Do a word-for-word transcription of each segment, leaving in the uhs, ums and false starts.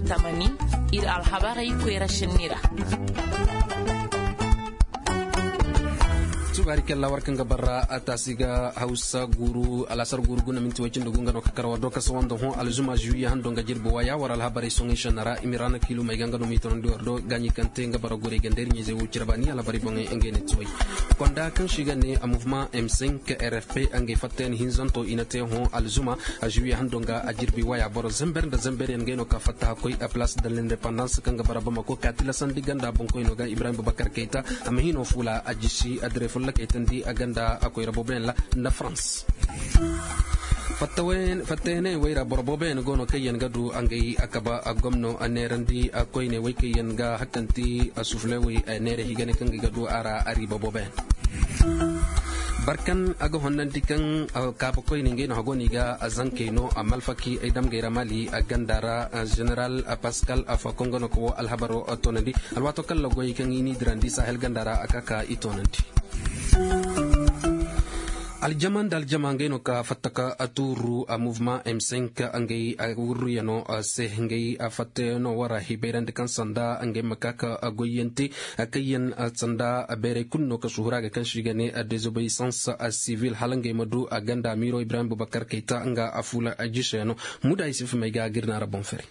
Tamani, iri alhabarey koyra sinni ra. Subaari kalla war kaŋ ga barra a taasi ga hawsa guuru alasar guuru guna minti way cindi gu nga no ka kar war do ka sawanda hõ alzuma juwiye hando nga jirbi waya war alhabarey soŋey senna ra i ma raana kiilu may ga nga no ma i tonandi war do gaaɲi kaŋ te nga bara gorey ganda iri ɲayzey wo cire baani alhabarey boŋey ngey ne tuway. Konda kaŋ se i ga ne a mouvement m cinq r f p ngey fattayan hinzanto i na te hõ alzuma a juwiye hando nga a jirbi waya boro zamber nda zamber yaŋ ngey no ka fatta hakkoy a place de l'indépendance kaŋ ga bara bamako ka tilasandi ganda boŋkoyno ga ibrahim bubakar kayta a ma hino fuula a jisi a dire fulla kaytandi a ganda a koyra booboyaŋ ra nda france. Fattayaney wayra boro booboyaŋ go no kaŋ yaŋ ga du ngey a kaba a gomno a neerandi a koyne way kaŋ yaŋ ga hakanti a suflewey neere higane kaŋ ga du a ra a riiba booboyaŋ. Barkan a ga honnandi kaŋ kaabakoyne ngey no hago no i ga a zankey no a malfaki ay damgey ra mali a ganda ra general pascal afa kongo no ka wo alhabaro toonandi alwaato kaŋ lagoy kaŋ i n'i dirandi sahel ganda ra a ka ka i toonandi. Aljama nda aljama ngey no ka fatta ka tuuru a mouvement m cinq ngey a wurriyano se ngey a fattayano wara hibayrandi kaŋ sanda ngey ma ka ka goyyanti kaŋ yaŋ sanda bayray kulu no ka suhura ga kaŋ se i ga ne désobéissance civile hala ngey ma du a ganda miro ibrahim bubakar kayta nga a fuula jisayano. Muda isif may ga ga iri naara boŋ fere.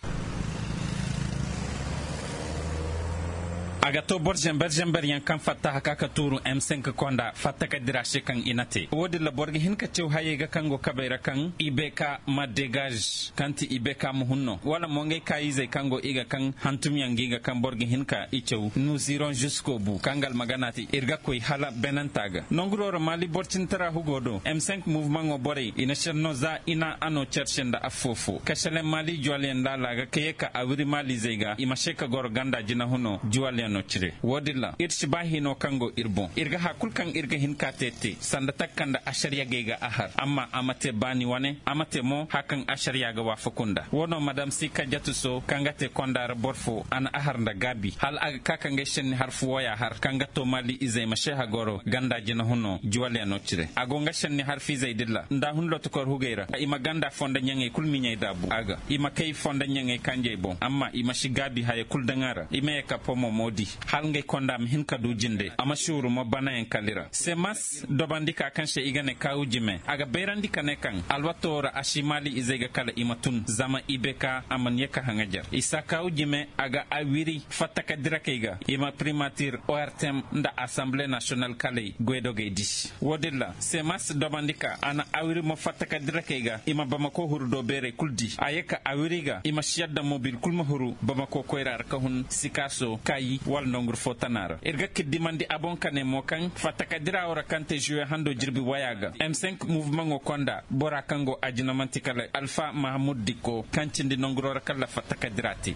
A ga to boro zember zember yaŋ kaŋ fatta haka ka tuuru m cinq konda fatta ka dira se kaŋ i na te wo- din ra boro ga hin ka caw hayey ga kaŋ go kabey ra kaŋ i bay ka ma dégage kaŋ ti i bay ka ma hun no wala mo ngey kaayizey kaŋ go i ga kaŋ hantum yaŋ ga i ga kaŋ boro ga hin ka i caw nuziron jusco bu kaŋ ga almagana te iri ga koy hala benanta ga nonguro ra maali boro cintara hugo do m cinq mouvement ŋo borey i na senno za i na a no care se nda affo fo kasalaŋ maali juwaliyaŋ laala ga ka ye ka a wiri maalizey ga i ma se ka goro ganda jinahuno juwaliyaŋo cire wo- din ra iri si ba hino kaŋ go iri boŋ iri ga hari kulu kaŋ iri ga hin ka te te sanda takka nda asariya gay ga a har amma a ma te baani wane a ma te mo hari kaŋ asariya ga waafaku nda wo no madam si kajjatu so kaŋ ga te konda ra boro fo a na a har nda gaabi hala a ga ka ka ngey senni hari fu wooya har kaŋ ga to maali izey ma seeha goro ganda jinahuno juwaliyaŋo cire a go nga senni hari fiizey din ra nda hun lotokor hugey ra i ma ganda fondo ɲaŋey kulu miɲey daabu a ga i ma kay fondo ɲaŋey kanjey boŋ amma i ma si gaabi haya kulu daŋ a ra i ma ye ka pomo mo di hala ngey konda ma hin ka du jinde a ma si wuru mo banayaŋ kali ra semas dobandi ka kaŋ se i ga ne kaawu jime a ga bayrandi ka ne kaŋ alwato wo ra a si maali izey ga kala i ma tun zama i bay ka a mana ye ka haŋajar isa kaawu jime a ga a wiri fatta ka dira kay ga i ma primatir ortem nda assemble national kalay goydogey di wo- din ra semas dobandi ka a na awiri mo fatta ka dira kay ga i ma bamako huru do beerey kulu di a ye ka awiri ga i ma si yadda mo biri kulu ma huru bamako koyra ra ka hun sikaaso kaayi wala nonguru fo tana ra iri ga kiddimandi a boŋ ka ne mo kaŋ fatta ka dira wo ra kaŋ te juwe hando jirbi waya ga m cinq mouvement ŋo konda bora kaŋ go a jina manti kala alfa mahamud dikko kaŋ cindi nonguro ra kala fatta ka dira te.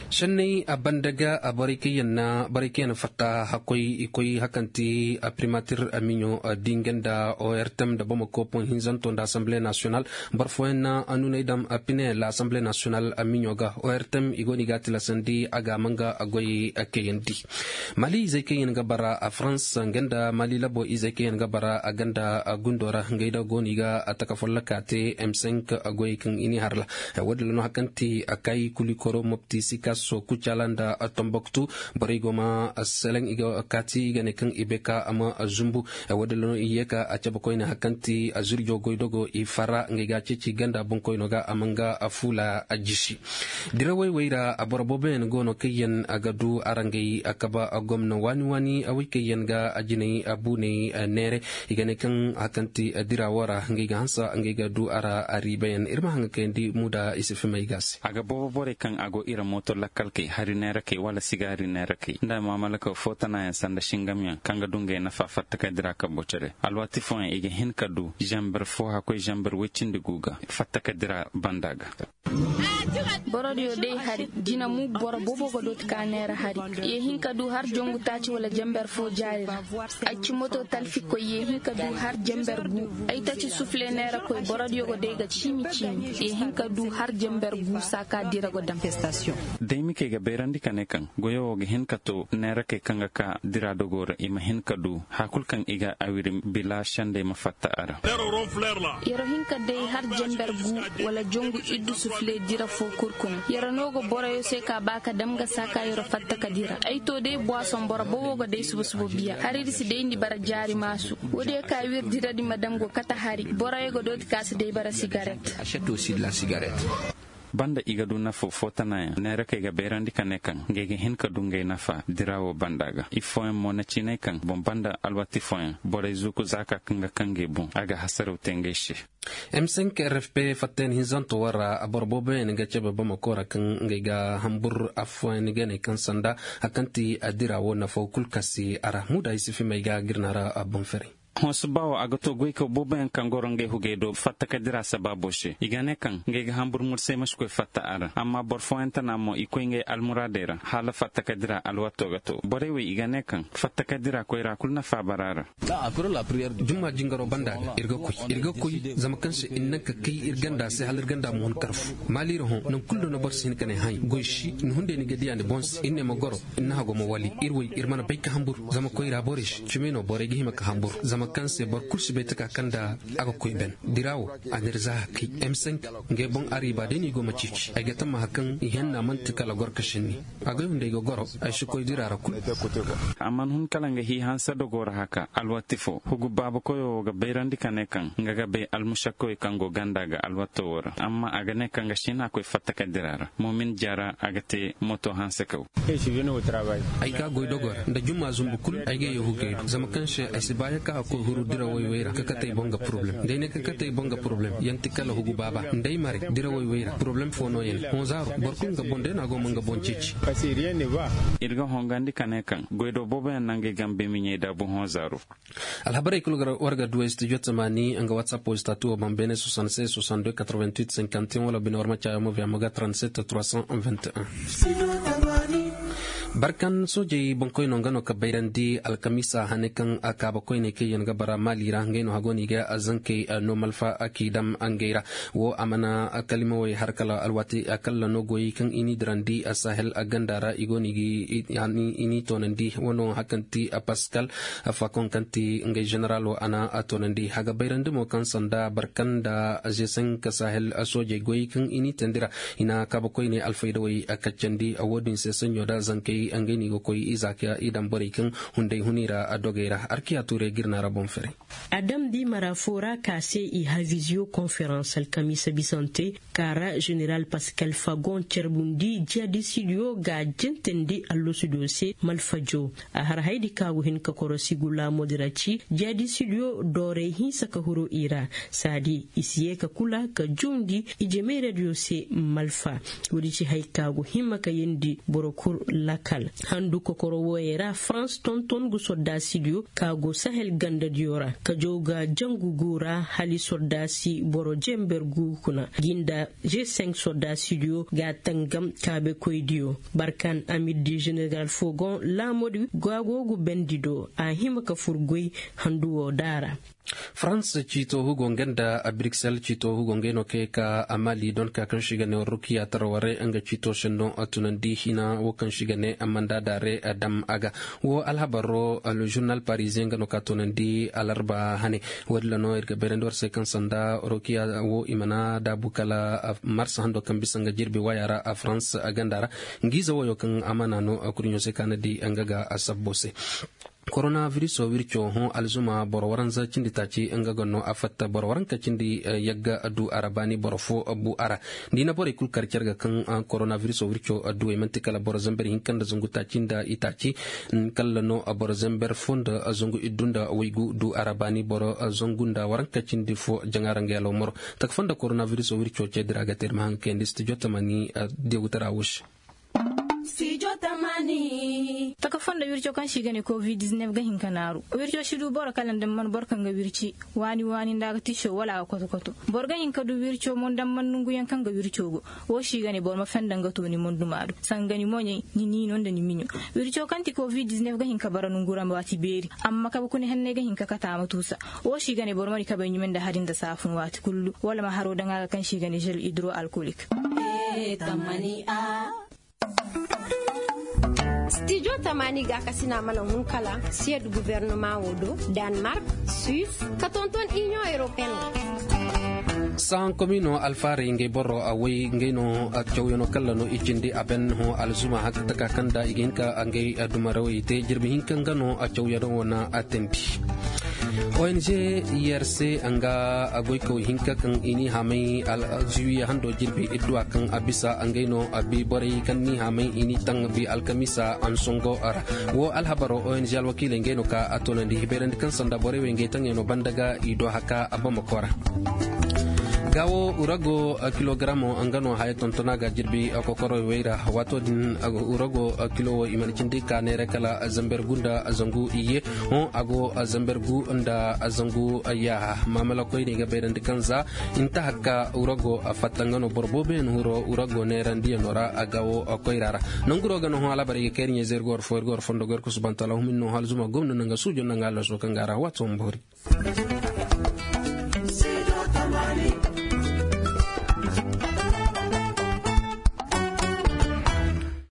Sanney a banda ga a borey kaŋ yaŋ na borey kaŋ yaŋ na fatta hakkoy i koy hakanti a primatir a miɲo a dinga nda ortem nda bamako poŋ hinzanto nda assemble national boro fooyaŋ na a nuney daŋ a pine la assemble national a miɲo ga ortem i go no i ga a tilasandi a ga a manga a goy a kayandi. Mali izey kaŋ yaŋ ga bara a farans nga nda mali labo izey kaŋ yaŋ ga bara a ganda a gundo ra ngey da go no i ga a taka folloka te m cinq a goy kaŋ i n'i harla. Wo- din ra no hari kaŋ ti a kaayi kuli koro mopti sikaso kucala nda tomboktu borey go ma seleŋ i ga kaati i ga ne kaŋ i bay ka a ma zumbu. Wo- din ra no i ye ka a cabe koyne hari kaŋ ti a zurjo goy dogo i fara ngey ga a ceeci ganda boŋkoyno ga a ma nga a fuula a jisi. Dirawey wey ra a boro boobo yaŋ go no kaŋ yaŋ a ga du araŋ gay a kaba a gomna waani waani a wey kaŋ yaŋ ga a jinay a buunay neeray. I ga ne kaŋ hari kaŋ ti dira wo ra ngey ga hanse ngey ga du a ra a riiba yaŋ iri ma haŋ ga kayandi muuda i si fimay ga se. A ga boobo borey kaŋ a go iri mooto lakkal kay hari neera kay wala sigaari neera kay nda maamalaka fo tana yaŋ sanda singam yaŋ kaŋ ga du ngey nafa fatta ka dira kambo care. Alwaati fooyaŋ i ga hin ka du zamber fo hakkoy zamber woy cindi gu ga fatta ka dira banda ga. Boro diyo day hari jina mu boro boobo ga dooti ka neera hari. Ye hin ka du har jongu taaci wala jamber fo jaari ra. Ay ci moto talfi koy ye hin ka du har jamber gu. Ay taci sufle neera koy boro diyo go day ga ciimi ciimi ye hin ka du har jamber gu saaka dira go daŋ. Day mi kay ga bayrandi ka ne kaŋ goyo wo ga hin ka to neera kay kaŋ ga ka dira dogo ra i ma hin ka du hari kulu kaŋ i ga awiri bila sendey ma fatta a ra. Yero hin ka day har jamber gu wala jongu iddu sufle. Dira fo kurkun yara no ga boroyo se ka ba ka dam ga saka yara fatta ka dira ay to day buwason boro bowo ga day suba suba biya hari iri si day ni bara jaari maasu. Wo- din ya ka wiri dira din ma dam go kate hari boroyo ga dooti ka si day bara sigaret. Banda i ga du nafa fo tanayaŋ neera kaŋ i ga bayrandi ka ne kaŋ ngey ga hin ka du ngey nafa dira wo banda ga i fooyaŋ mo na ciinay kaŋ boŋ banda alwati fooyaŋ borey zuuku zaaka kaŋ ga kaŋ ngey boŋ a ga hasaraw te ngey se. M cinq r f p fattayan hinzanto wo ra boro booboyaŋ ga cabe bamako ra kaŋ ngey ga hambur afooyaŋ ga ne kaŋ sanda hari kaŋ ti a dira wo nafa kulu kaŋ si a ra muuda i si fimay ga girna ra boŋ fere. Hõ suba wo a ga to goykaw booboyaŋ kaŋ goro ngey hugey do fatta ka dira sabaabo se i ga ne kaŋ ngey ga hambur mursay ma si koy fatta a ra amma boro fooyaŋ tana mo i koy ngey almuraadey ra hala fatta ka dira alwaato ga to borey wo i ga ne kaŋ fatta ka dira koyra kulu nafa bara ra. Jumma jingaro banda ga iri ga koy iri ga koy zama kaŋ se iri naŋ ka kay iri ganda se hala iri ganda ma hun karfu maali iri hõ nangu kulu do no boro si hin ka ne hay goy si ni hunday ni ga diya ni boŋ se iri ne ma goro ni na hago ma wali iri wo iri mana bay ka hambur zama koyra borey se cimi no borey ga hima ka hambur zama kaŋ se boro kulu si bay taka kaŋ da a ga koy ben dira wo a n'iri za hakay m cinq ngey boŋ ariiba day no i go ma ceeci ay ga tammaha kaŋ i henna manti kala goro ka sinni. A goy hunday ga goro ay si koy dira ra kulu. A mana hun kala nga hi hanse dogo ra haka alwati fo hugu baaba koyo wo ga bayrandi ka ne kaŋ nga ga bay almusakkawey kaŋ go ganda ga alwato wo ra amma a ga ne kaŋ ga siina koy fatta ka dira ra moomin jara a ga te moto hanse kaw. Ay ga goy dogo ra nda jumma zumbu kulu ay ga ye hugey do zama kaŋ se ay si ba ya ka a koy huru dira wayway ra ka kate ay boŋ ga poroblem da ay ne ka kate ay boŋ ga poroblem yanti kala hugu baaba nda ay mare dira wayway ra poroblem fo no ya ne hõ zaaro boro kulu nga boŋ day no a go ma nga boŋ ceeci. Iri ga hongandi ka ne kaŋ goydo boobo yaŋ nangey gambe miɲey da buhõ zaaro. Alhabarey kulu war ga duwey studio tamaani nga whatsapp wo statu wo bambene soixante-seize soixante-deux quatre-vingt-huit cinquante et un wala bine war ma caayo mo via moga trente-sept trois cent vingt et un. Barkan soojey boŋkoyno nga no ka bayrandi alkamiisa hane kaŋ a kaaba koyne kaŋ yaŋ ga bara maali ra ngey no hago no i ga zankey no malfa k'i dam ngey ra. Wo a mana kalimawey har kala alwaati kalla no goyey kaŋ i n'i dirandi sahel ganda ra i go no i n'i toonandi wano hari kaŋ ti pascal fakoŋ kaŋ ti ngey ženeralo a na a toonandi haga bayrandi mo kaŋ sanda barkan da zesenka sahel soojey goyey kaŋ i n'i teendi ra i na kaaba koyne alfaydawey kaccandi wo- din se saɲɲo da zankey ngey no i ga koy i za ka i daŋ borey kaŋ hunday huni ra dogey ra arkiya tuurey ga iri naara boŋ fere. A dam di mara fo ra ka se i har visioconference alkamiisa bisante ka ra ženeral pascal fagon carbundi jihadisidiyo ga jentandi allasudiyo se malfajo. A har haydi ka go hin ka korosi gulaamodi ra ci jihadisidiyo doorey hinsa ka huru i ra saadi i si ye ka kula ka jundi i jemeeradiyo se malfa. Woodi ci hari ka go hima ka yeendi boro kulu lakkal handu kokoro wooyey ra farans tonton ga sordaasidiyo ka go sahel gandadiyo ra ka jaw ga jangu gu ra hala sordaasi boro jember gu kuna ga nda g cinq sordaasidiyo ga tangam kaabekoydiyo barkan amir di ženeral fogon laamodi ga go ga bendi do a hima ka fur goy handu wo daara. Farans ciito hugo nga nda bruxelles ciito hugo ngey no kay ka a maali donka kaŋ si ga ne rukiya tarware nga ciito sendo tunandi hina wo kaŋ si ga ne manda daare dam a ga wo alhabaro le journal parisien nga no ka tunandi alarba hane. Wo- din ra no iri ga bayrandi war se kaŋ sanda rukiya wo i mana daabu kala marsa hando kaŋ bisa nga jirbi waya ra a farans ganda ra. Nga ize woyo kaŋ a mana no kurɲo se ka na di nga ga a sabbo se. Koronaviruso wirco hõ alzuma boro waranza cindi taaci nga ga no a fatta boro waranka cindi yagga du a ra baani boro fo bu a ra. Ni na borey kulu kar care ga kaŋ koronaviruso wirco duwey manti kala boro zamber hinka nda zangu taaci nda itaaci kala no boro zamber fo nda zangu iddu nda waygu du a ra baani boro zangu nda waranka cindi fo jaŋa ra nga yalo moro. Taka fo nda koronaviruso wirco ce dira ga te iri ma haŋ kayandi studio tamani. Diyagutara wo se. Taka fonda wirco kaŋ se i ga ne covid dix-neuf ga hin ka naaru wirco si du boro kala nda man boro kaŋ ga wirci waani waani nda a ga tiso wala a ga koto koto. Boro ga hin ka du wirco mo nda man nonguyaŋ kaŋ ga wirco go. Wo se i ga ne boro ma fenda nga to ni monduma do sanga ni moɲey ni niino nda ni miɲo. Wirco kaŋ ti covid dix-neuf ga hin ka bara nongu ra waati beeri amma kabe kuna henney ga hin ka kata a ma tuusa. Wo se i ga ne boro ma di kabey ɲume nda hari nda saafun waati kullu wala ma haro daŋ a ga kaŋ se i ga ne gel hydro alcoolique. Studio tamani ga kasina mana hun kala siyad gouvernement wo do, danemark, suisse, ka tonton union européenne. Sahan komino alfaarey ngey boro a way ngey no a cawyano kalla no i cindi a ben hõ alzuma hakkataka kaŋ da i ga hin ka ngey dumarawey te jirbi hinka nga no a cawyano wane a tandi. Ong yerse nga a goykaw hinka kaŋ i n'i haamay alzuwiya hando jirbi idduwa kaŋ a bisa ngey no a bi borey kaŋ n'i haamay i n'i taŋ bi alkamisa ansongo ra. Wo alhabaro ong alwakiiley ngey no ka a toonandi hibayrandi kaŋ sanda borey wey ngey taŋey no banda ga i do haka a bamako ra. Ga wo urago kilogaramo nga no haya tontona ga jirbi kokoroy wayra waato din urago kilo wo i mana cindi ka neera kala zamber gunda zangu iyye. Hõ a go zamber gu nda zangu yaaha maamala koyne ga bayrandi kaŋ za inta hakka urago fatta nga no boro boobo yaŋ huro urago neerandiyano ra a ga wo koyra ra. Nanguro ga no hõ alabara i ga kayri ɲa zay irgo war fo irgo war fondo goyar kusu bantala humin no hal zuma gomna nanga suujo nanga allaso kaŋ ga ra waato ma boori.